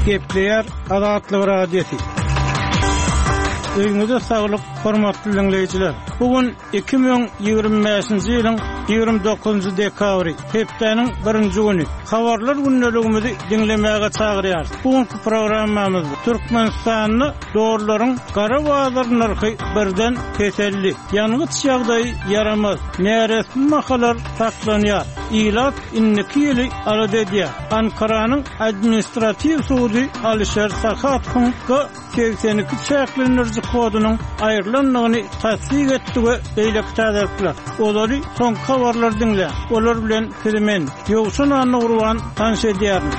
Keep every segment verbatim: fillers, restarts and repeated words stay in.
Gepleýär Azatlyk Radiosy. Öýüňize saglyk, hormatly diňleýjiler. Bu gün iki müň ýigrimi bäşinji ýylyň ýigrimi dokuzynjy dekabry, hepdäniň birinji güni. Habarlar gündeligimizi diňlemäge çagyrýarys. Bu günki programmamyzda Türkmenistanda dollaryň gara bazar nyrhy birden peseldi. Ýangyç ýagdaýy ýaramaz, näresmi mahalar saklanýar. Ilat indiki ýyly alada edýär. Ankaranyň administratiw sudy Alişer Sahatowyň G segsen iki çäklendiriji kodunyň aýrylandygyny tassyk etdi we beýleki täzelikler. Olary soňky habarlar diňläň. Olar bilen sizi men, Ýowşan Annagurban tanyş edýärin.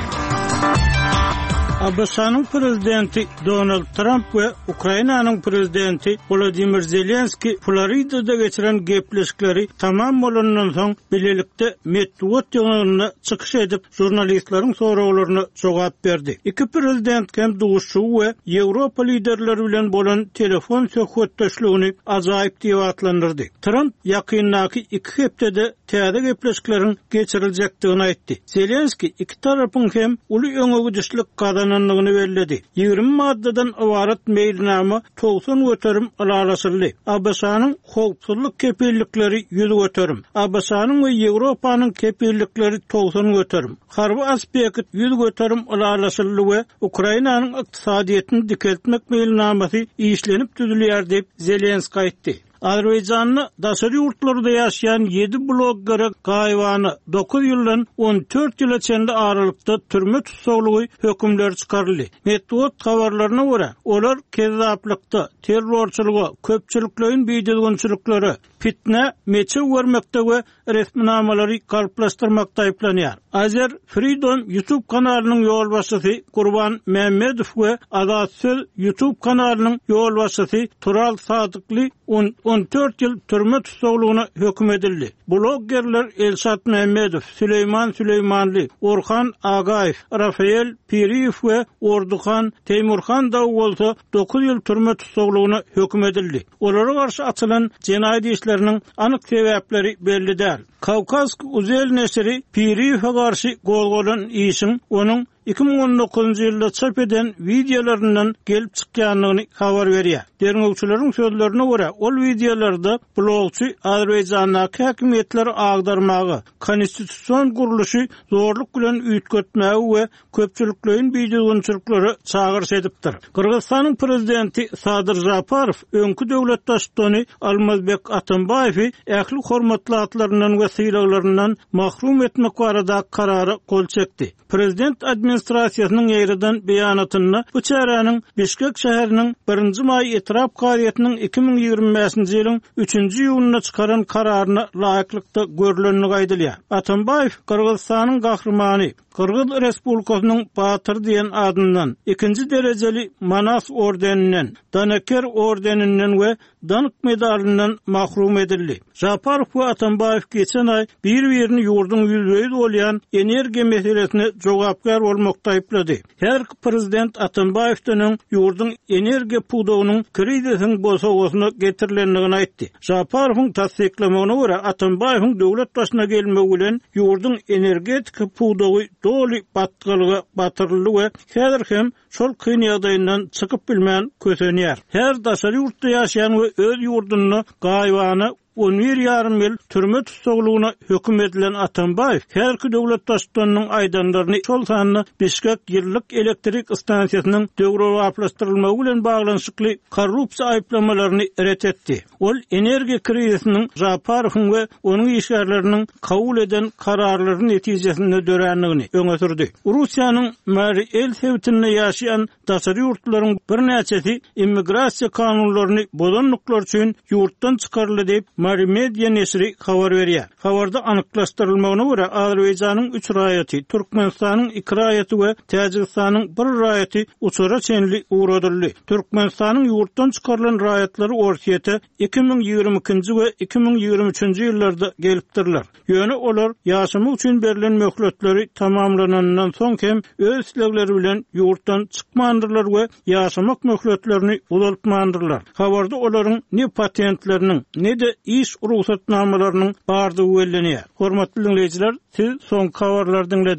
A B Ş-nyň prezidenti Donald Tramp we Ukrainanyň prezidenti Wladimir Zelenski Floridada geçiren gepleşikleri tamam bolandan soň bilelikde metbugat ýygnagynda çykyş edip, žurnalistleriň soraglaryna jogap berdi. Iki prezident hem duşuşygy we Ýewropa liderleri bilen bolan telefon söhbetdeşligini ajaýyp diýip atlandyrdy. Tramp ýakyndaky iki hepdede täze gepleşikleriň geçiriljekdigini aýtdy. Zelenski iki tarapyň hem uly öňe gidişlik gazanandygyny belledi. Ýigrimi maddadan ybarat meýilnama togsan göterim ylalaşyldy. A B Ş-nyň howpsuzlyk kepillikleri ýüz göterim. A B Ş-nyň we Ýewropanyň kepillikleri togsan göterim. Harby aspekt ýüz göterim ylalaşyldy we Ukrainanyň ykdysadyýetini dikeltmek meýilnamasy işlenip düzülýär diýip Zelenski aýtdy. Azerbaýjanda daşary ýurtlarda ýaşaýan ýedi bloggere gaýybana dokuz ýyldan on dört ýyla çenli aralykda türme tussaglygy hökümleri çykaryldy. Metbugat habarlaryna görä, olar kezzaplykda, terrorçylyga, köpçülikleýin bidüzgünçiliklere, fitne, meçew görmekde we resminamalary galplaşdyrmakda aýyplanýar. Azer Freedom YouTube kanalynyň ýolbaşçysy Gurban Mehmedow we Azat Söz YouTube kanalynyň ýolbaşçysy Tural Sadykly on, on dört ýyl türme tussaglygyna höküm edildi. Bloggerler Elşat Mehmedow, Süleýman Süleýmanly, Orhan Agaýew, Rafael Piriýew we Orduhan Teýmurhan dagy bolsa dokuz ýyl türme tussaglygyna höküm edildi. Olara garşy açylan jenaýat işleriniň anyk sebäpleri belli däl. Kawkaz Uzel neşiri Piriýewe garşy gozgalan işiň onuň iki müň on dokuzynjy ýylda çap eden wideolaryndan gelip çykýandygyny habar berýär. Derňewçileriň sözlerine görä, ol wideolarda blogçy Azerbaýjandaky häkimiýetleri agdarmaga, konstitusion gurluşy zorluk bilen üýtgetmäge we köpçülikleýin bidüzgünçiliklere çagyryş edipdir. Gyrgyzystanyň prezidenti Sadyr Japarow öňki döwlet baştutany Almazbek Atambaýewi ähli hormatly atlaryndan we sylaglaryndan mahrum etmek barada karara gol çekdi. Prezident administrasiýasynyň ýaýradan beýanatynda bu çäräniň Bişkek şäheriniň birinji maý etrap kazyýetiniň iki müň ýigrimi bäşinji ýylyň üçünji iýunynda çykaran kararyna laýyklykda görülendigi aýdylýar. Atambaýew Gyrgyzystanyň gahrymany, Gyrgyz Respublikasynyň Batyr diýen adyndan, ikinji derejeli Manas ordeninden, Danaker ordeninden we Dank medalyndan mahrum edildi. Japarow we Atambaýew geçen aý bir-birini ýurduň ýüzbe-ýüz bolýan energiýa meselesine jogapkär bolmakda aýyplady. Her prezident Atambaýewden öň ýurduň energiýa pudagynyň krizisiň bosagasyna getirilendigini aýtdy. Japarowyň tassyklamagyna görä, Atambaýewiň döwlet başyna gelmegi bilen ýurduň energetika pudagy doly batgalyga batyryldy we häzir hem şol kyn ýagdaýyndan çykyp bilmän kösenýär. Her daşary ýurtda ýaşaýan we öz ýurdunda gaýybana on bir ýarym ýyl türme tussaglygyna höküm edilen Atambaýew herki döwlet baştutanynyň aýdanlaryny şol sanda Bişkek ýyllyk elektrik stansiýasynyň döwrebaplaşdyrylmagy bilen baglanyşykly korrupsiýa aýyplamalaryny ret etdi. Ol energiýa krizisiniň Japarowyň we onuň işgärleriniň kabul eden kararlary netijesinde dörändigini öňe sürdi. Russiýanyň Mari El sebitinde ýaşaýan daşary ýurtlaryň birnäçesi immigrasiýa kanunlaryny bozanlyklar üçin ýurtdan çykaryldy diýip Mari Media neşiri habar berýär. Habarda anyklaşdyrylmagyna görä, Azerbaýjanyň üç raýaty, Türkmenistanyň iki raýaty we Täjigistanyň bir raýaty uçara çenli ugradyldy. Türkmenistanyň ýurtdan çykarylan raýatlary Orsýete iki müň ýigrimi ikinji we iki müň ýigrimi üçünji ýyllarda gelipdirler. Ýöne olar ýaşamak üçin berlen möhletleri tamamlanandan soň hem öz islegleri bilen ýurtdan çykmandyrlar we ýaşamak möhletlerini uzaltmandyrlar. Habarda olaryň ne patentleriniň, ne-de iş rugsatnamalarynyň bardygy bellenýär. Hormatly dinleýjiler, siz soňky habarlary diňlediniz.